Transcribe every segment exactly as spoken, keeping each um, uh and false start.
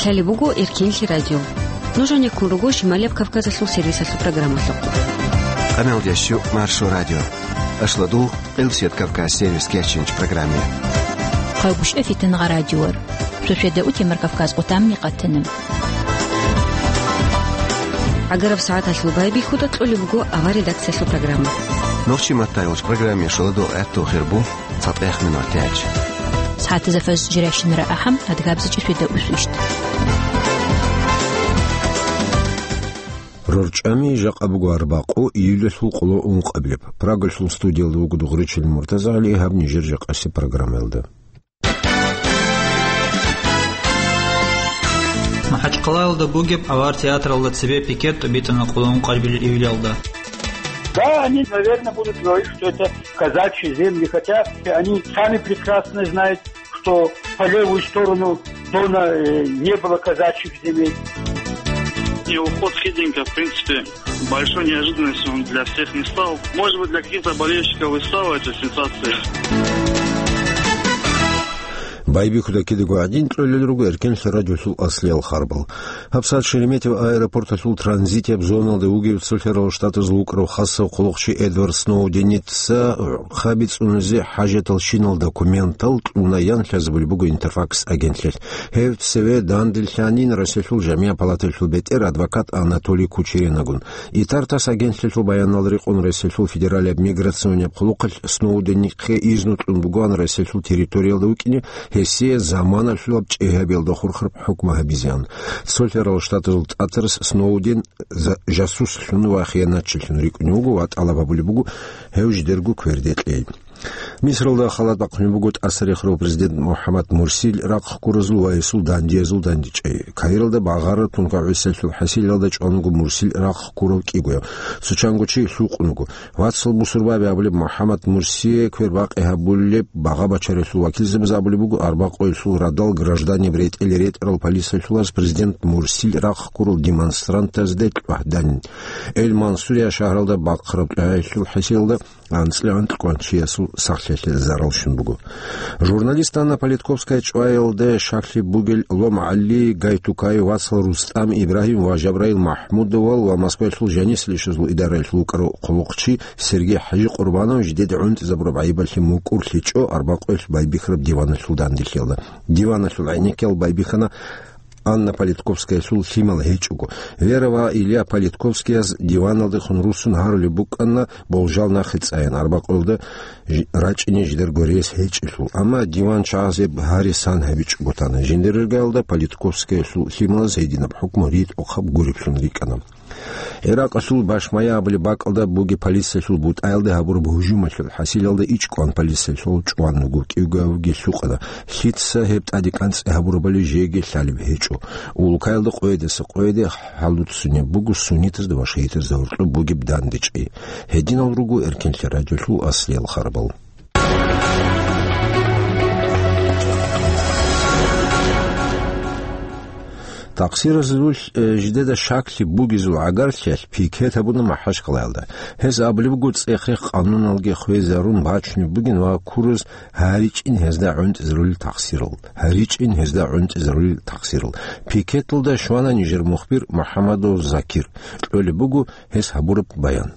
Гьале буго Эркенлъи радио. Нуж гьанеккун руго Шималияб Кавказалъул сервисалъул программалъухъ. Къаналдящу Маршо радио. Ашладул Къилсият Кавказ сервис кечинч программе. Хъавбушев Фитнагъа радиор. Суседа утемар Кавказ къутамни къатана. ГӀагараб сагӀаталъул байбихьуда кьолеб буго авар редакциялъул программа. Нохчи маттайолч программе шаладул гӀатту хирбу. ЦатӀех минут тяч. СагӀатазда фаз жиращинара ахӀам, адгабзичи светда усвищт. РорчӀами жакъа буго арбакъу июлалъул къоло ункъабилеб. Прагалъул студиялда вуго Дугъричил Муртазагьли, гьаб нижер жакъаси программаялда. МахӀачхъалаялда бугеб авар театралда цебе пикет тӀубитӀана къоло ункъабилеб июлалда. Да, они, наверное, будут говорить, что это казачьи земли, хотя они сами прекрасно знают, что по левую сторону Дона, э, не было казачьих земель. И уход Хидинка, в принципе, большой неожиданностью он для всех не стал. Может быть, для каких-то болельщиков и стала эта сенсация. Байбихьуда кидаго гӀадин кьолел руго Эркенлъи радиолъул аслиял харбал. ГьабсагӀат Шереметьево аэропорталъул транзитияб зоналда вугев цолъарал штатазул вукӀарав хасав хъулухъчи Эдвард Сноуденица хабицӀуназе хӀажатал щинал документал кьуна ян лъазабулеб буго Интерфакс агентлъиялъ. Гьев цеве данделъанин Россиялъул жамигӀ палаталъул бетӀер адвокат Анатолий Кучеренагун. Итартас агентлъиялъул баянал рекъон Россиялъул федералияб миграционияб хъулухъалъ Сноуденихъе изну кьун бугоан Россиялъул территориялда вукӀине, гьесие заманалъулаб чӀегьабиялда хурхараб хӀукму гьабизеан. Цолъарал штатазул тӀатарас Сноуден за-, жасуслъун ва хияначилъун рикӀкӀунев вуго ва тӀалаб гьабулеб буго гьев жидерго кверде кьей. Мисралда халат бахъунеб буго тӀасарихарав президент МухӀаммад Мурсил рахъ ккуразул ва гьесул дандиязул дандечӀей. Каиралда багъараб тункагӀусиялъул хӀасилалда чӀван вуго Мурсил рахъ ккурав кӀигояв. Цо чанго чи лъукъун вуго. Вацал бусурбаби абулеб МухӀаммад Мурсие квербакъи гьабулеб багъа-бачаралъул вакилзабаз абулеб буго, арбакъуялъул радал гражданин ретӀел ретӀарал полициялъулаз президент Мурсил рахъ ккурал демонстрантазде кьвагьданин. Эль-Мансурия шагьаралда бахъараб тӀагӀелъул хӀасилалда анцӀила анкьго чиясул сахлъиялъе зарал щун буго. Журналист Анна Политковская чӀваялда шаклъи бугел Лом ГӀали, Гайтукай, вацал РустӀам, Ибрагьим ва Жабраил МахӀмудовал ва Москваялъул жанисел ишазул идараялъул вукӀарав хъулухъчи Сергей ХӀажикъурбанов жидеда гӀунтӀизабураб гӀайибалъе мукӀур лъечӀо арбакъуялъ байбихьараб диваналъул данделъиялда. Диваналъул гӀенеккиял байбихьана Анна Политковскаялъул лъимал гьечӀого. Вера ва Илья Политковскияз диваналдехун руссун гьарулеб букӀана болжал нахъе цӀаян, арбакъуялда жи-, рачӀине жидерго рес гьечӀелъул. Амма диван чагӀазеб гьарисан гьабичӀого тана. Жиндирергаялда Политковскаялъул лъималаз гьединаб хӀукму ритӀухъаб гуриблъун рикӀкӀана. ГӀиракъалъул Башмая абулеб бакӀалда бугеб полициялъул бутӀаялда гьабураб гьужумалъул хӀасилалда ичӀкӀван полициялъул чӀван вуго, кӀиго авги лъукъана. Лъица гьеб тӀаде кӀанцӀи гьабурабали жеги лъалеб гьечӀо. Улукаялда къоядаса къояде хӀалуцунеб буго суннитазда ва шагьитазда гьоркьоб бугеб дандечӀей. Гьединал руго Эркенлъи радиолъул аслиял харбал. Такъсиразулъ, э, жидеда шаклъи бугезул гӀагарлъиялъ пикет гьабуна МахӀачхъалаялда. Гьез абулеб буго, цӀех-рех къануналги хвезарун бачунеб бугин ва ккураз гьаричӀин гьезда гӀунтӀизарулел такъсирал. ГьаричӀин гьезда гӀунтӀизарулел такъсирал. Пикеталда щвана нижер мухбир МухӀаммадов Закир. Кьолеб буго гьес гьабураб баян.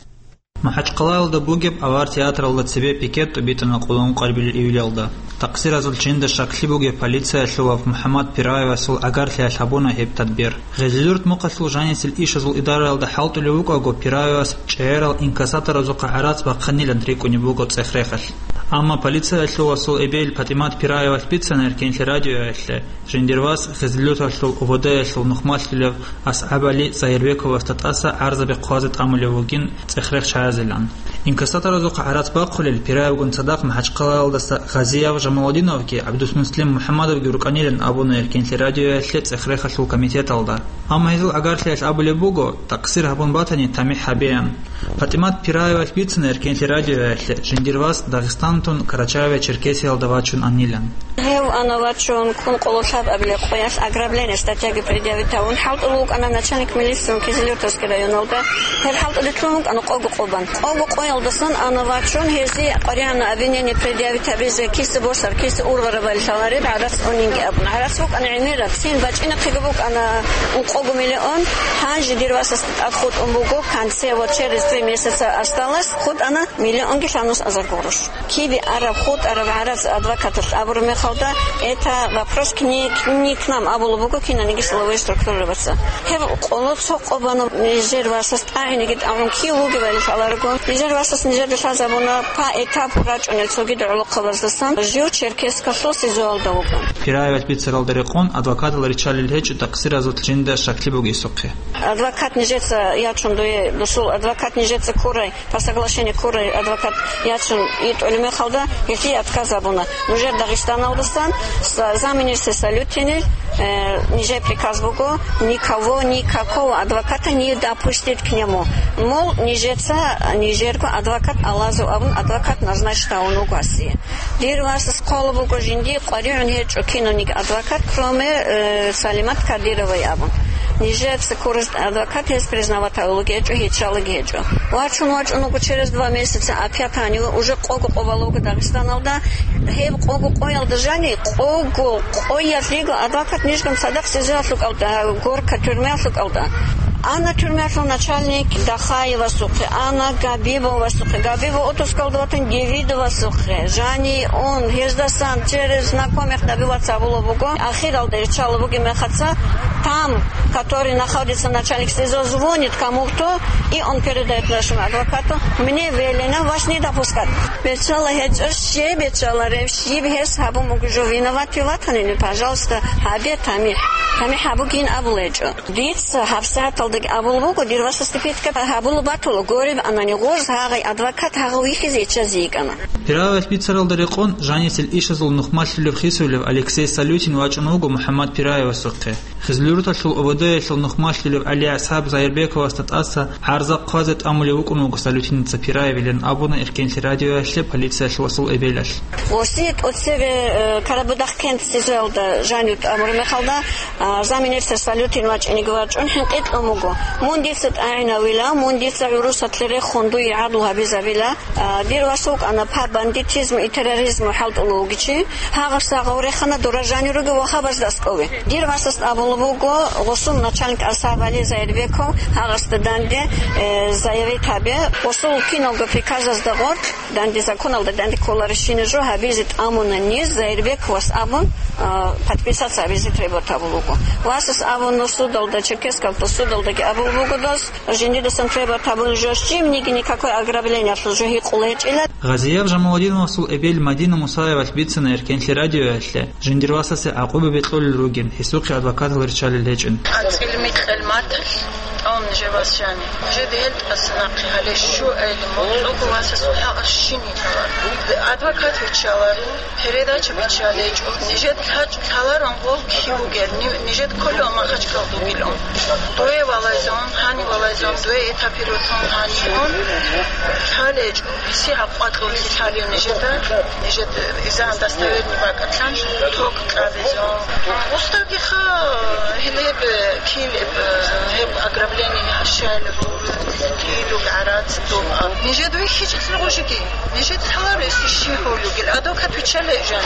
МахӀачхъалаялда бугеб авар театралда цебе пикет тӀубитӀана къулун къарбил июлялда. Такъсиразул чинда шаклъи бугеб полициялъував МухӀаммад Пираевасул гӀагарлъиялъ гьабуна гьеб тадбир. Гъезилюрт мухъалъул жанисел ишазул идараялда хӀалтӀулев вукӀаго, Пираевас чӀегӀерал инкассаторазухъа гӀарац бахъинилан рикӀкӀунеб буго цӀех-рехалъ. Амма полициялъувасул эбел ПатӀимат Пираевалъ бицана Эркенлъи радиоялъе, жиндир вас Гъезилюрталъул ОВД-ялъул нухмалъулев АсгӀабали Загьирбековасда тӀаса гӀарзаби хъвазе тӀамулев вугин цӀех-рех чагӀазилан. Инкассаторазухъа гӀарац бахъулел Пираевгун цадахъ МахӀачхъалаялдаса Гъазияв Жамалудиновги ГӀабдусмуслим МухӀаммадовги рукӀанилан абуна Эркенлъи радиоялъе цӀех-рехалъул комитеталда. Амма гьезул гӀагарлъиялъ абулеб буго, такъсир гьабун батани, тамихӀ гьабеян. ПатӀимат Пираевалъ бицина Эркенлъи радиоялъе, жиндир вас Дагъистантун Карачаево-Черкесиялда вачун анилан. Гьев ана вачун ккун къоло лъабабилеб къоялъ ограбление статьяги предъявить гьавун хӀалтӀулев вукӀана начальник милициялъул Кизилюртовский районалда. Гьеб хӀалтӀулелъун вукӀана къого къо бан. Къого къоялдасан ана вачун, гьезие къваригӀанна обвинение предъявить гьабизе, киса босар, киса ургъарабали лъалареб гӀарац унинги абун. ГӀарац букӀана гӀемераб, цин бачӀинахъего букӀана ункъого миллион, гьанже дир васасда тӀад хутӀун буго, в конце, вот через три месяца осталось, хутӀана миллионги лъабнус азар гурош. Киде араб хутӀараб гӀарац адвокаталъ абураб мехалда, это вопрос к ней, к ней, к нам абулеб буго кинаниги силовой структурабаца. Гьеб къоло цо къо бана нижер васас тӀагӀинеги тӀагӀун кив вугевали лъаларого. Нижер васас нижеда лъазабуна по этапу рачӀунел цогидал гӀолохъабаздасан, жив Черкесскалъул СИЗОалда вуго. Пираевалъ бицаралда рекъон адвокатал риччалел гьечӀо тахъсиразул жинда щаклъи бугесухъе. Адвокат нижеца ячун дуе, дусул адвокат нижеца ккурай, по соглашению ккурай адвокат ячун итӀулеб мехалда, гьелъие отказ абуна. Нужер Дагъистаналдасан за-, замминистра Салютинил, э, нижер приказ буго, никого, никакого адвоката не допустить к нему. Мол, нижеца, нижерго адвокат алазу абун, адвокат назначить гьавун вуго гьасие. Дир васас хъвала буго жинди къваригӀун гьечӀо кинониги адвокат, кроме, э, Салимат Кадировой абун. Нижеца ккурас адвокат гьес признавать гьавулги гьечӀо, гьечӀалаги гьечӀо. Вачун вачӀун вуго через два месяца, опять гьанив уже къого къо бала вуго Дагъистаналда. Гьеб къого къоялда жани, къого къоялъ йиго адвокат нижгун цадахъ СИЗОялъул кӀалда, Горка тюрьмаялъул кӀалда. Ана тюрьмаялъул начальник Дахаевасухъе, ана Габибовасухъе, Габибов отпускалда ватан Девидовасухъе, жани он, гьездасан через знакомых добиваться гьабула буго, ахиралда риччала бугеб мехаца, там, который находится начальник СИЗО, звонит кому-то, и он передает нашему адвокату: «Мне велено вас не допускать». Бечала гьечӀо, щиб бечалареб, щиб гьес гьабун буго жо виноватый ватанин, пожалуйста, гьабе тамихӀ. ТамихӀ гьабугин абулеб гьечӀо. Дица гьабсагӀаталдаги абулеб буго, дир васасде питка гьабулеб батула, гуреб анани гъоз гьагъай адвокат гьагъав вихьизе иччазе йикӀана. Пираевалъ бицаралда рекъон жанисел ишазул нухмалъулеб хисулев Алексей Салютин вачӀун вуго МухӀаммад Пираевасухъе. Хизлюрталъул ОВД-ялъул нухмалъулев ГӀалиасхӀаб Заирбековасда тӀаса гӀарза хъвазе тӀамулев вукӀун вуго Салютиница Пираевилан абуна Эркенлъи радиоялъе полициялъул эбелалъ. Гъосие тӀоцебе, э, Карабудахъ кент СИЗОялда жанив тӀамураб мехалда, а, замминистра Салютин вачӀинеги вачӀун хӀинкъи кьун буго. Мун дица тӀагӀинавила, мун дица гӀурусалъе рехун дуе гӀадлу гьабизабила. А, дир вас вукӀана по бандитизму и терроризму хӀалтӀулев вугев чи. Гьагъас гьагъав рехана дора жанив ругев вахабазда аскӀове. Дир васас абулеб буго, гъосул начальник АсхӀаб ГӀали Заирбеков гьагъасда данде, э, заявить гьабе. Гъосул киналго приказазда гъоркь, данде законалда данде кколарищина жо гьабизе тӀамуна ниж, Заирбековас абун, а, подписаться гьабизе требовать гьабулеб буго. Васас абуна судалда, Черкесскалда судалдаги абулеб буго дос, жиндидасан требовать гьабулеб жо щибниги никакой ограблениялъул жо гьикъула гьечӀила. Гъазияб Жамалудиновасул эбел Мадина Мусаевалъ бицина Эркенлъи радиоялъе, жиндир васасе гӀакъуба бекьулел ругин, гьесухъе адвокатал риччалел гьечӀин. АцӀил микьал маталъ тӀун жаваз жани. Жеде гьел тӀаса нахъе гьале щуайли, муцӀуго васасул хӀакъ щини гьавар. Адвокат виччаларо, передача биччалечӀо. Нижед лъачӀ лъаларан гъов кив вугел, ни-, нижед кколев Махачкал дугилан. Дуе валайзун, гьани валайзун, дуе этапирутун гьанигун. ЛъалечӀо, гьесие гьаб къвакьуллъи лъалев нижеда. Нижед изан достоверный бакӀатлъан ток кьабизун. Устагиха гьелеб килеб, гьеб ограбление гьащаялъул килуг гӀарац доб. Нижед вихьичӀелъул гъужиги, нижед лъаларес ищи гьулугел, адвокат виччалей жан.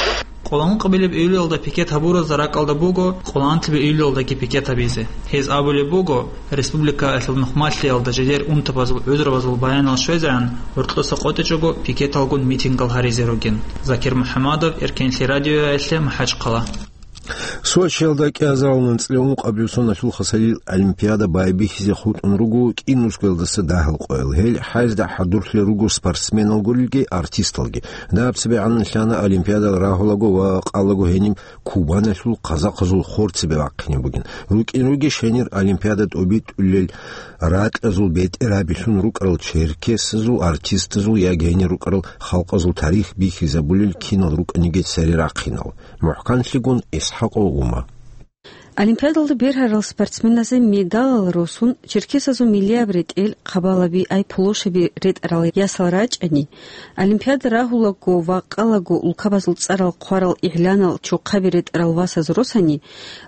Къоло ункъабилеб июлалда пикет гьабуразда ракӀалда буго къоло анлъабилеб июлалдаги пикет гьабизе. Гьез абулеб буго, республикаялъул нухмалъиялда жидер унтабазул гӀузрабазул баянал щвезегӀан, гьоркьоса къотӀичӀого пикеталгун митингал гьаризе ругин. Закир МухӀамадов, Эркенлъи радиоялъе, МахӀачхъала. Сочиялда кӀиазарал анцӀила ункъабилеб соналъул хасалил олимпиада байбихьизе хутӀун руго кӀинусгоялдаса дагьал къоял. Гьел хӀайзда хӀадурлъи руго спортсменал гурелги артисталги. Даб цебегӀан лъана олимпиадал рагьулаго ва къалаго гьениб Кубаналъул казахъазул хор цебе вахъине бугин. РукӀин ругищ гьенир олимпиада тӀубитӀулел ракьазул бетӀергьабилъун рукӀарал черкесазул артистазул яги гьенир рукӀарал халкъазул тарих бихьизабулел кинал рукӀаниги цере рахъинал. МухӀканлъигун ИсхӀакъов Ума. Олимпиадалда бергьарал спортсменазе медалал росун, черкесазул миллияб ретӀел, хъабалаби, ай-площаби ретӀарал ясал рачӀани, Олимпиада рагьулаго ва къалаго улкабазул цӀарал хъварал игӀланал чохъаби ретӀарал васаз росани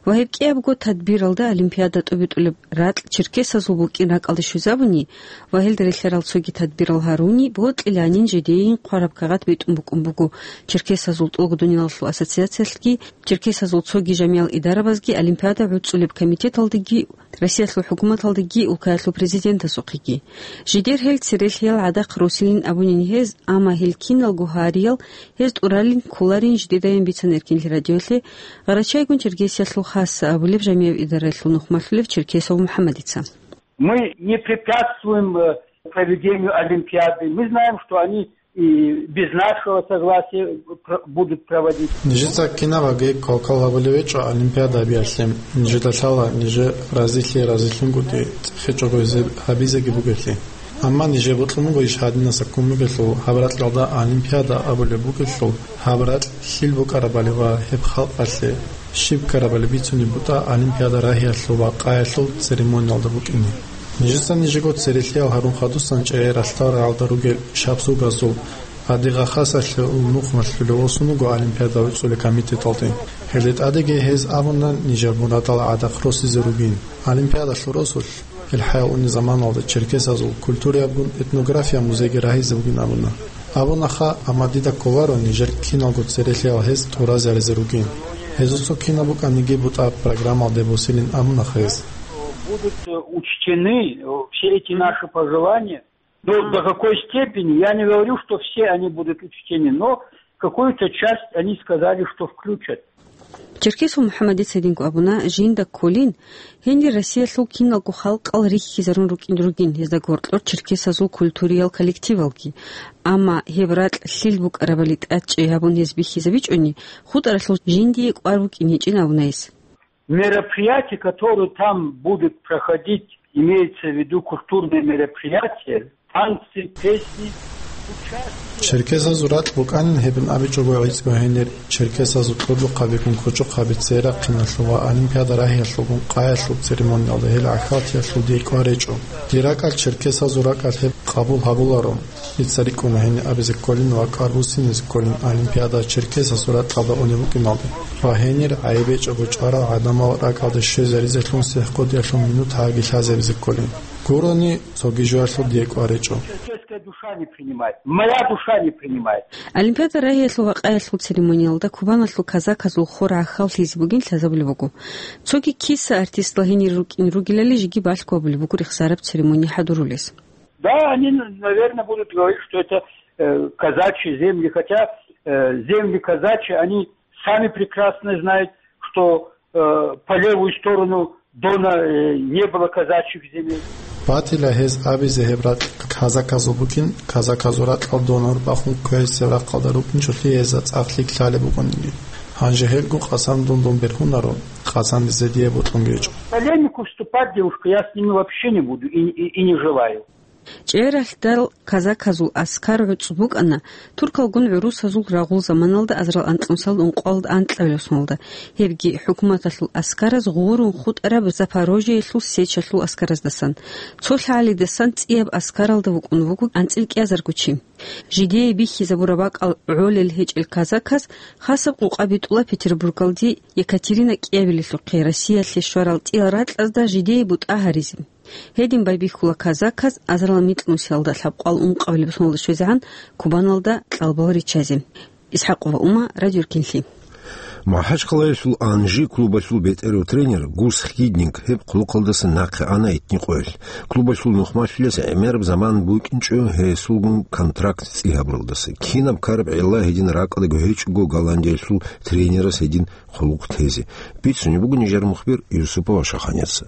ва гьеб кӀиябго тадбиралда Олимпиада тӀубитӀулеб ракь черкесазул букӀин ракӀалде щвезабуни ва гьелда релълъарал цоги тадбирал гьаруни, бокьиланин жидейин хъвараб кагъат битӀун букӀун буго Черкесазул тӀолгодуниялалъул ассоциациялъги, черкесазул цоги жамиял идарабазги, Олимпиада гӀуцӀулеб комитеталдаги, Россиялъул хӀукуматалдаги, улкаялъул президентасухъеги. Жидер гьел церелъиял гӀадахъ росилин абунин гьез, амма гьел киналго гьариял гьез тӀуралин кколарин жидедайин бицана Эркинлъи радиолъе Гъарачайгун Черкесиялъул хасса абулеб жамияб идараялъул нухмалъулев Черкесов МухӀаммадица. Мы не препятствуем, э, проведению Олимпиады. Мы знаем, что они и без нашего согласия пр-, будут проводить. Нижеца кинабаги кал-кал гьабулев гьечӀо Олимпиада гьабиялъе. Нижеда лъала, нижер разилъи разилъунгутӀи цӀехечӀого гьезеб гьабизеги бугелъи. Амма нижер бокьун буго иш гьадинаса ккун бугелъул, гьаб ракьалда Олимпиада абулеб бугелъул, гьаб ракь лъил букӀарабали ва гьеб халкъалъе щиб ккарабали бицунеб бутӀа Олимпиада рагьиялъул ва къаялъул церемониялда букӀине. Нижеца нижего церелъиял гьарун хадусан чӀегӀер ралъдал рагӀалда ругел шабзугазул, гьадигъа хасалъе нухмалъулев восун вуго Олимпиада гӀуцӀулеб комитеталде. Гьелде тӀадеги гьез абуна нижер мурадал гӀадахъ росизе ругин. Олимпиадалъул росулъ, гьел хӀаял унеб заманалда черкесазул культураябгун этнография музейги рагьизе бугин абуна. Абунаха, амма дида кколаро нижер киналго церелъиял гьез тӀуразаризе ругин. Гьезул цо кинаб букӀаниги бутӀа программалде босилин абунаха гьез. Будут, э, учтены, э, все эти наши пожелания. Ну, до какой степени? Я не говорю, что все они будут учтены, но какую-то часть они сказали, что включат. Черкесов МухӀаммадица гьединго абуна, жинда кколин, гьенир Россиялъул киналго халкъал рихьизарун рукӀин ругин гьезда гьоркьор черкесазул культуриял коллективалги. Амма гьеб ракь лъил букӀарабали тӀадчӀей гьабун гьез бихьизабичӀони, хутӀаралъул жиндие кӀвар букӀин гьечӀин абуна гьес. Мероприятия, которые там будут проходить, имеется в виду культурные мероприятия, танцы, песни, участие. Черкесазул ракь букӀанин гьебин абичӀого гӀицӀго гьенир, черкесазул кьурбухъабигун кучӀухъаби церахъиналъул ва Олимпиада рагьиялъулгун къаялъул церемониялда гьел гӀахьалтиялъул дие кӀвар гьечӀо. Дир ракӀалъ черкесазул ракӀалъ гьеб къабул гьабуларо. Дица рикӀкӀуна гьениб абизе кколин ва кӀвар буссинизе кколин Олимпиада черкесазул ракьалда унеб букӀиналде ва гьенир гӀайиб гьечӀого чӀварал гӀадамал ракӀалде щвезаризелъун сихӀкъудиялъул минут гьаги лъазабизе кколин. Гурони, цоги жоялъул дие кӀвар гьечӀо. Черкесская душа не принимает, моя душа не принимает. Олимпиада рагьиялъул ва къаялъул церемониялда Кубаналъул казаказул хор гӀахьаллъизе бугин лъазабулеб буго. Цоги киса артистла гьенир рукӀин ругелали жеги балъго гьабулеб буго рехсараб церемония хӀадурулес. Да, они, наверное, будут говорить, что это, э, казачьи земли, хотя, э, земли казачьи, они сами прекрасно знают, что, э, по левую сторону Дона, э, не было казачьих земель. Батила гьез абизе гьеб ракь казаказул букӀин, казаказул ракьал Дона гьурбахун квегӀисеб рахъалда рукӀинчӀолъи гьезда цӀакълъи лъалеб букӀаниги. Гьанже гьелго къасан дундун бергьунаро, къасандизе дие бокьун гьечӀо. Полемику вступать, девушка, я с ними вообще не буду и, и, и не желаю. ЧӀегӀер ралъдал казаказул аскар гӀуцӀ букӀана туркалгун гӀурусазул рагъул заманалда азарал анкьнусиялда ункъоялда анкьабилеб соналда, гьебги хӀукуматалъул аскараз гъурун хутӀараб Запорожьеялъул Сечалъул аскараздасан. Цо лъагӀалидасан цӀияб аскаралда вукӀун вуго анцӀил кӀиазарго чи. Жидее бихьизабураб бакӀал гӀолел гьечӀел казаказ хасаб къукъа битӀула Петербургалде Екатерина кӀиабилелъухъе Россиялъе щварал цӀиял ракьазда жидее бутӀа гьаризе. Гьедин байбихьула казаказ азарал микьнусиялда лъабкъоялда ункъабилеб соналда щвезегӀан Кубаналда кьалбал риччазе. Исхакова Ума, Радио Эркинлъи. МахӀачхъалаялъул «Анжи» клубалъул бетӀерав тренер Гус Хидник гьеб хъулухъалдаса нахъе ана итни къоялъ. Клубалъул нухмалъулес гӀемераб заман букӀинчӀо гьесулгун контракт цӀи гьабуралдаса. Кинаб ккараб гӀилла гьедин ракӀалдаго гьечӀого Голландиялъул тренерас гьедин хъулухъ тезе? Бицунеб буго нижер мухбир Юсупова Шаханица.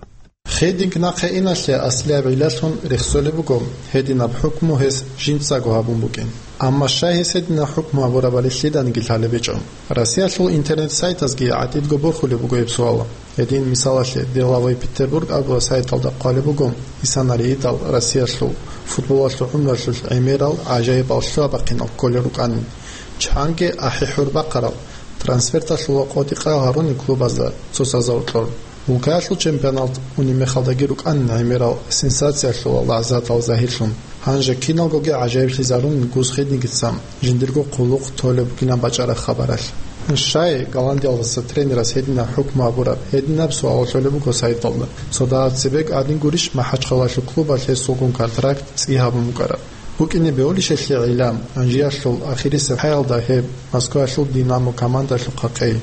Хидник нахъе иналъе аслияб гӀиллалъун рехсолеб буго, гьединаб хӀукму гьес жинцаго гьабун букӀин. Амма щай гьес гьединаб хӀукму гьабурабали лъиданиги лъалеб гьечӀо. Россиялъул интернет-сайтазги гӀатӀидго борхулеб буго гьеб суал. Гьедин, мисалалъе, «Деловой Петербург» абураб сайталда хъвалеб буго, Исанариидал Россиялъул футболалъул гӀумруялъул гӀемерал гӀажаибал лъугьа-бахъинал кколел рукӀанин. Чанги ахӀи-хӀур бахъарал, трансферталъул къотӀи-къал гьарунел клубазда цо саза укьор. Улкаялъул чемпионат унеб мехалдаги рукӀана гӀемерал сенсациялъул лаззатал загьирлъун. Гьанже киналгоги гӀажаиблъизарун Гусхидингица жиндирго хъулухъ толеб бугилан бачӀараб хабаралъ. Щай Голландиялдаса тренерас гьединаб хӀукму гьабураб? Гьединаб суал лъолеб буго сайталда. Цо дагьаб цебе гӀадин гурищ, МахӀачхъалаялъул клубалъ гьесулгун контракт цӀи гьабун букӀараб? БукӀине бегьулищ гьелъие гӀилла, Анжиялъул ахирисеб хӀаялда гьеб Москваялъул «Динамо» командалъухъа къей.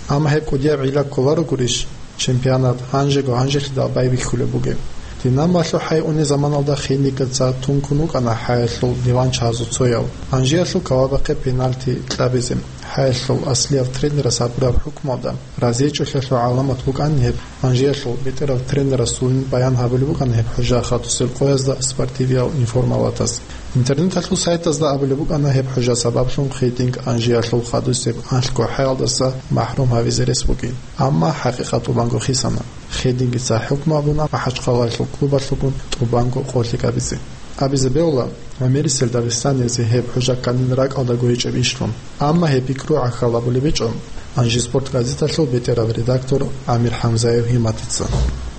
Амма гьеб кӀудияб гӀилла кколаро гурищ, чемпионат гьанжего гьанжелъидал байбихьулеб бугеб. «Динамоялъул» хӀай унеб заманалда Хидингица тункун вукӀана хӀаялъул диванчагьазул цояв, Анжиялъул кавабахъе пенальти кьабизе. ХӀаялъул аслияб тренерас гьабураб хӀукмуялда разиячӀолъиялъул гӀаламат букӀана гьеб. Анжиялъул бетӀерав тренерасулин баян гьабулеб букӀана гьеб хӀужа хадусел къоязда спортивиял информалатас. Интернеталъул сайтазда абулеб букӀана гьеб хӀужа сабаблъун Хидинг Анжиялъул хадусеб анлъго хӀаялдаса махӀрум гьавизе рес бугин. Амма хӀакъикъат тӀубанго хисана. Хидингица хӀукму гьабуна МахӀачхъалаялъул клубалъулгун тӀубанго къо лъикӀабизе. Абизе бегьула, гӀемерисел дагъистаниязе гьеб хӀужа кканин ракӀалдаго гьечӀеб ишлъун. Амма гьеб пикру гӀахьал абулеб гьечӀо «Анжи спорт» газеталъул бетӀерав редактор ГӀамир ХӀамзаев Гьиматица.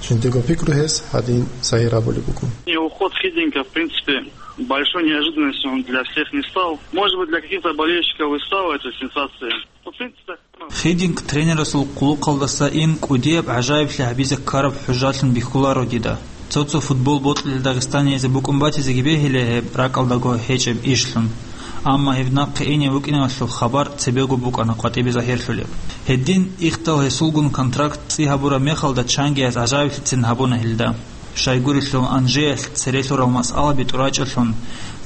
Жиндиего пикру гьес гьадин загьир абулеб буго. И уход Хидинга, в принципе, большой неожиданностью он для всех не стал. Может быть, для каких-то болельщиков и стала эта сенсация. Ну, в принципе, так. Хидинг тренерасул хъулухъалдаса ин кӀудияб гӀажаиблъи гьабизе ккараб хӀужалъун бихьуларо дида. Цо-цо футбол бокьулел дагъистаниязе букӀун батизеги бегьила гьеб ракӀалдаго гьечӀеб ишлъун. Амма гьеб нахъе ине вукӀиналъул хабар цебего букӀана къватӀибе загьирлъулеб. Гьедин, ихдал гьесулгун контракт цӀи гьабураб мехалда чангияз гӀажаиблъицин гьабуна гьелда. Щайгурелъул Анжеялъ церелъурал масъалаби тӀурачӀелъун,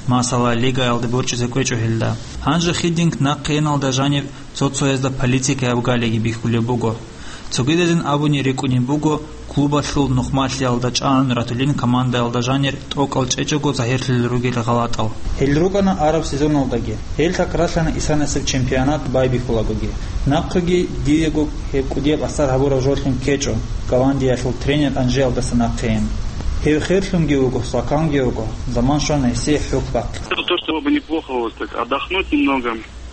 масала, лигаялде борчӀизе кӀвечӀо гьелда. Гьанже Хидинг нахъе иналда жаниб цо-цоязда политикаяб галиги бихьулеб буго. Цогидазин абуни рикӀкӀунеб буго, клубалъул нухмалъиялда чӀагӀун ратулин командаялда жанир тӀокӀал чӀечӀого загьирлъулел ругел гъалатӀал. Гьел рукӀана араб сезоналдаги. Гьел такрарлъана исанасеб чемпионат байбихьулагоги. Нахъеги диего гьеб кӀудияб асар гьабураб жолъин ккечӀо, Голландиялъул тренер Анжеялдаса нахъейин. Гьев херлъунги вуго, саканги вуго, заман щвана гьесие хӀухь бахъи. Это то, что было бы неплохо вот так отдохнуть немного,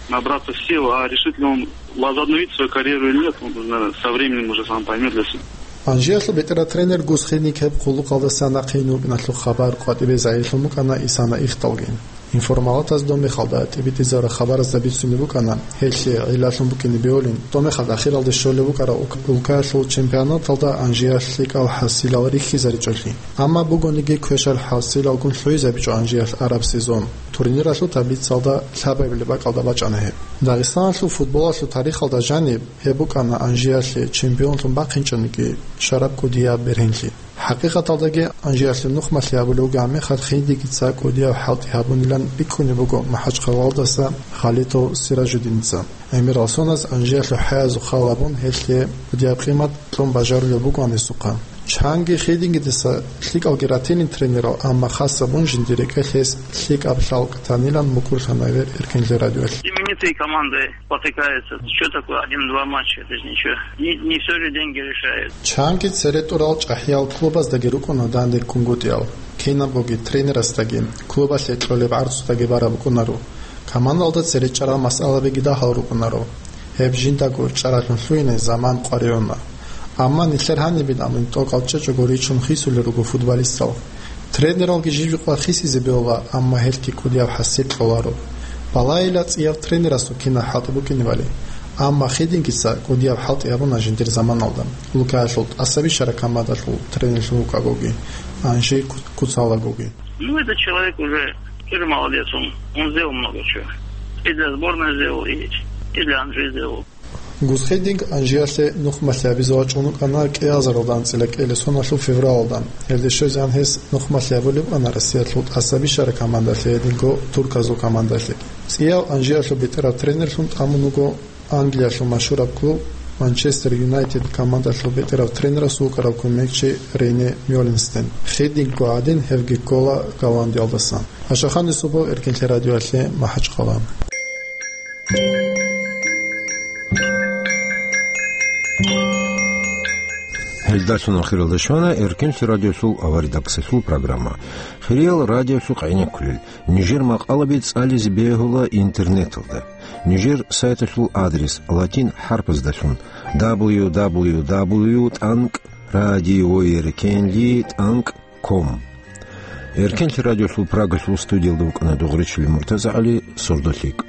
набраться сил, а решит ли он возобновить свою карьеру или нет, он, наверное, со временем уже сам поймет для себя. Анжиялъул бетӀерав тренер Гус Хидинг гьеб хъулухъалдаса нахъейин вукӀиналъул хабар къватӀибе загьирлъун букӀана исана ихдалги. Информалатаз доб мехалда тӀибитӀизараб хабаразда бицунеб букӀана, гьелъие гӀиллалъун букӀине бегьулин, доб мехалда ахиралде щолеб букӀараб улк-, улкаялъул чемпионаталда Анжиялъ лъикӀал хӀасилал рихьизаричӀолъи. Амма бугониги квешал хӀасилалгун лъугӀизабичӀо Анжиялъ араб сезон. Турниралъул таблицалда лъабабилеб бакӀалда бачӀана гьеб. Дагъистаналъул футболалъул тарихалда жаниб гьеб букӀана Анжиялъе чемпионлъун бахъинчӀониги шараб кӀудияб бергьенлъи. ХӀакъикъаталдаги Анжиялъе нухмалъи гьабулев вугеб мехалъ Хидингица кӀудияб хӀалтӀи гьабунилан биккунеб буго МахӀачхъалаялдаса Халитов Сиражуддиница. ГӀемерал соназ Анжиялъул хӀаязул хал гьабун, гьелъие кӀудияб къимат кьун бажарулеб буго гьанисухъа. Чанги Хидингидаса лъикӀалги ратилин тренерал, амма хас гьабун жиндир рекӀелъ гьес лъикӀаб лъалкӀ танилан мукӀурлъана гьев Эркинлъи радиоялъ. Именитые команды спотыкаются. Что такое один-два матча? Это же ничего. Не, не все же деньги решают. Чанги цере тӀурал чӀахӀиял клубаздаги рукӀуна данде ккунгутӀиял. Кинабгоги тренерасдаги, клубалъе кьолеб гӀарцудаги бараб букӀунаро. Командалда цере чӀарал масъалабиги дагьал рукӀунаро. Гьеб жиндаго чӀаралъун лъугьине заман къваригӀуна. Амма нилъер гьанибин абун тӀокӀал чӀечӀого ричун хисулел руго футболистал. Тренералги жив-живго хисизе бегьула, амма гьелъги кӀудияб хӀасил кьоларо. Балагьила цӀияб тренерасул кинаб хӀалтӀи букӀинебали. Амма Хидингица кӀудияб хӀалтӀи гьабуна жиндир заманалда. Улкаялъул тӀасабищараб командалъул тренерлъун вукӀагоги, Анжи ку-, куцалагоги. Ну, этот человек уже тоже молодец, он, он сделал много чего. И для сборной сделал, и, и для Анжи сделал. Гус Хидинг Анжиялъе нухмалъи гьабизе вачӀун вукӀана кӀиазаралда анцӀила кӀиабилеб соналъул февралалда. Гьелде щвезегӀан гьес нухмалъи гьабулеб букӀана Россиялъул тӀасабищараб командалъе гьединго турказул командалъеги. ЦӀияв Анжиялъул бетӀерав тренерлъун тӀамун вуго Англиялъул машгьураб клуб Манчестер Юнайтед командалъул бетӀерав тренерасул вукӀарав кумекчи Рене Мёленстен. Хидингго гӀадин гьевги ккола Голландиялдасан. Ашаханисубов Эркинлъи радиоялъе, МахӀачхъала. Гьелдалъун ахиралда щвана Эркинлъи радиосул аваридаксалъул программа. Хириял радиосухъ гӀенеккулел, нижер макъалаби цӀализе бегьула интернеталда. Нижер сайталъул адрес латин хӀарпаздалъун: дабл ю дабл ю дабл ю тӀанкӀ радиоеркенлъи тӀанкӀ ком. Эркенлъи радиолъул Прагалъул студиялда вукӀана Дугъричилин МуртазагӀали, Сордо лъикӀ.